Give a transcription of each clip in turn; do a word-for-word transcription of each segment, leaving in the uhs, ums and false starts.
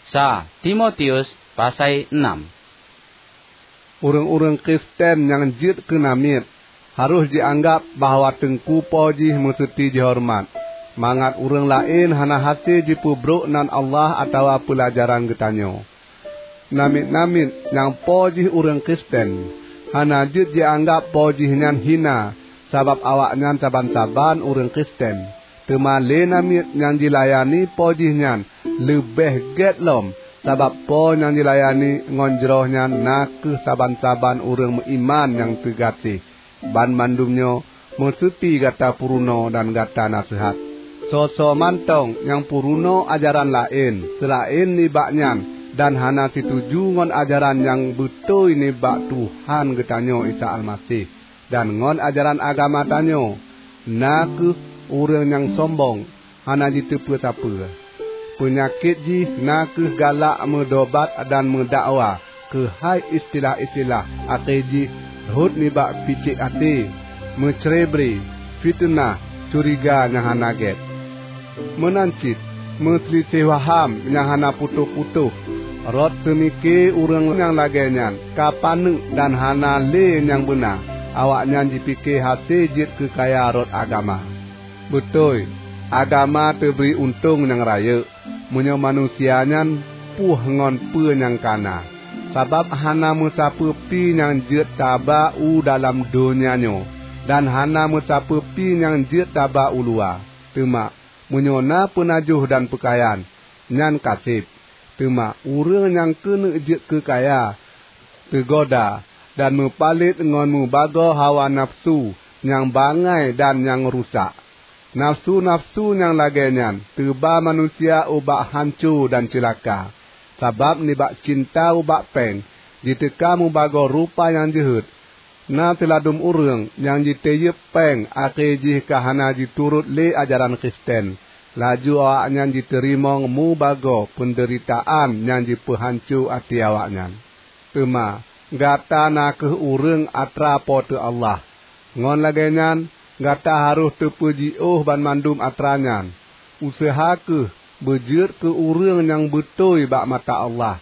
Sa Timotius pasai enam. Ureuëng-ureuëng Kristen nyang jeuet keu namiet harôh jianggab bahwa teungku po jih meuseuti jihoreumat, mangat ureuëng laén hana hase jipeubrok nan Allah atawa peulajaran geutanyoe. Namiet-namiet nyang po jih ureuëng Kristen hana jeuet jianggab po jih nyan hina sabab awaknyan saban-saban ureuëng Kristen. Teuma lé namiet nyang jilayani po jih nyan leubeh gét lom, sabab po nyang jilayani ngon jroh nyan na kheueh saban-saban ureuëng meuiman nyang teugaséh. Banmandum nyoe meuseuti gata peurunoe dan gata naseuhat. Soe-soe mantong nyang peurunoe ajaran laén seulaén nibak nyan dan hana situju ngon ajaran nyang beutôi nibak Tuhan geutanyoe Isa Almaseh, dan ngon ajaran agama tanyoe, na kheueh ureuëng nyang sombong, hana jiteupeu sapeue. Peunyakét jih na kheueh galak meudobat dan meudakwa keuhai istilah-istilah akhé jih rhot nibak picék até, meucrebre, fiteunah, curiga nyang hana gét. Meunan cit meuseuliseh waham nyang hana putôh-putôh. Rot seumike ureuëng nyang lagée nyan ka paneuk dan hana lé nyang beuna, awaknyan jipike hase jeuet keu kaya rot agama. Beutôi, agama teubri untông nyang rayeuk meunyoe manusia nyan puih ngon peue nyang ka na, sabab hana meusapeue pi nyang jeuet taba u dalam donya nyoe dan hana meusapeue pi nyang jeuet taba u luwa. Teuma meunyoe na peunajoh dan peukayan, nyan ka seb. Teuma ureuëng nyang keuneuk jeuet keu kaya, teugoda, dan meupalet ngon mubagoe hawa nafeusu nyang bangai dan nyang rusak. Nafeusu-nafeusu nyang lagée nyan teuba manusia ubak hanco dan ceulaka, sabab nibak cinta ubak péng jiteuka mubagoe rupa nyang jeuhet. Na siladum ureuëng nyang jiteuyeueb péng akhé jih ka hana jiturot lé ajaran Kristen, laju awaknyan jiteurimong mubagoe peundeuritaan nyang jipeuhanco até awaknyan. Teuma gata na kheueh ureuëng atra Po teu Allah. Ngon lagée nyan, gata harôh teupeujiôh banmandum atra nyan. Useuha kheueh beujeuet keu ureuëng nyang beutôi bak mata Allah,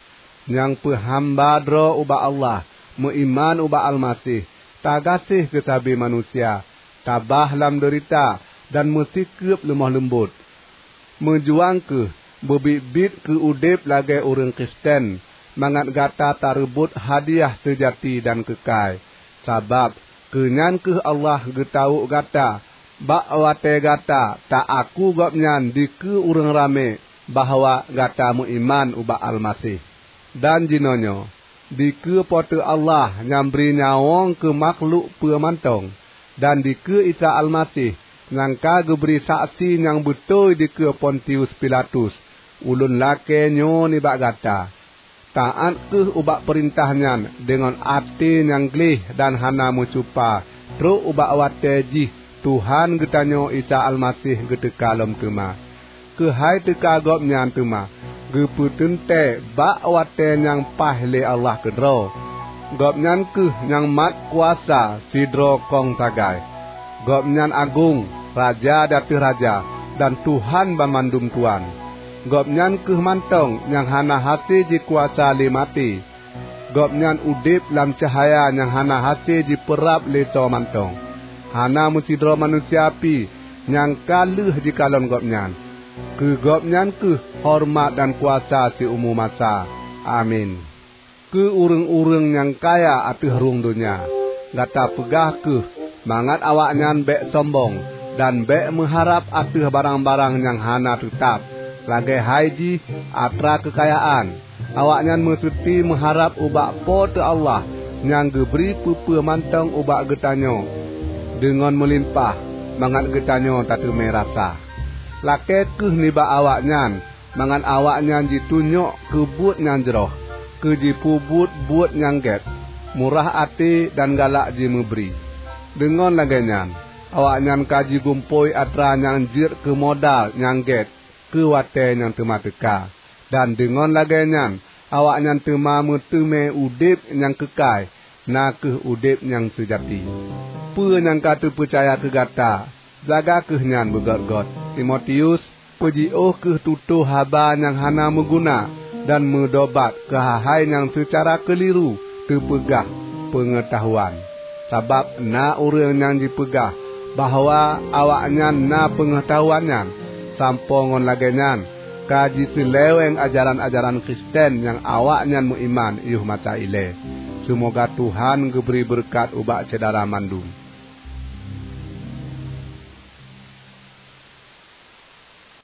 nyang peuhamba droe ubak Allah, meuiman ubak Almaseh, tagaséh keu sabe manusia, tabah lam deurita, dan meusikeueb leumoh leumbot. Meujuang kheueh beubiet-biet keu udeb lagée ureuëng Kristen, mangat gata tareubot hadiah seujati dan keukai. Sabab keu nyan kheueh Allah geutawök gata bak watée gata ta-aku Gobnyan dikeue ureuëng ramé bahwa gata meuiman ubak Almaseh. Dan jinoenyoe, dikeue Po teu Allah nyang bri nyawöng keu makhlok peue mantong, dan dikeue Isa Almaseh nyang ka geubri saksi nyang beutôi dikeue Pontius Pilatus, ulôn lakée nyoe nibak gata: Taát kheueh ubak peurintah nyan deungon até nyang gleh dan hana meucupa trok ubak watée jih Tuhan geutanyoe Isa Almaseh geuteuka lom teuma. Keuhai teuka Gobnyan teuma geupeuteuntée bak watée nyang paih lé Allah keudroe. Gobnyan kheueh nyang mat kuasa sidroe kong sagai. Gobnyan agong, Raja di ateueh raja, dan Tuhan banmandum tuan. Gobnyan kheueh mantong nyang hana hase jikuasa lé maté. Gobnyan udeb lam cahya nyang hana hase jipeurab lé soe mantong. Hana meusidroe manusia pi nyang ka lheueh jikalon Gobnyan. Keu Gobnyan kheueh horeumat dan kuasa siumu masa. Amin. Keu ureuëng-ureuëng nyang kaya ateueh rhueng donya, gata peugah kheueh mangat awaknyan bék sombong dan bék meuharab ateueh barang-barang nyang hana teutab, lagée hai jih atra keukayaan. Awaknyan meuseuti meuharab ubak Po teu Allah nyang geubri peue-peue mantong ubak geutanyoe deungon meulimpah, mangat geutanyoe tateumé rasa. Lakée kheueh nibak awaknyan, mangat awaknyan jitunyok keu buet nyang jroh, keu jipeubuet buet nyang gét, murah até dan galak jimeubri. Deungon lagée nyan, awaknyan ka jigumpôi atra nyang jeuet keu modal nyang gét keu watée nyang teuma teuka, dan deungon lagée nyan awaknyan teuma meuteumé udeb nyang keukai, na kheueh udeb nyang seujati. Peue nyang ka teupeucaya keu gata, jaga kheueh nyan beugét-gét. Timotius, peujiôh kheueh tutoe haba nyang hana meuguna. dan meudobat keuhai-hai nyang seucara keuliru teupeugah peungeutahuan. Sabab na ureuëng nyang jipeugah bahwa awaknyan na peungeutahuan nyan, sampoe ngon lagée nyan ka jiseuleweng ajaran-ajaran Kristen nyang awaknyan meuiman yoh masa ilée. Seumoga Tuhan geubri beureukat ubak syedara mandum.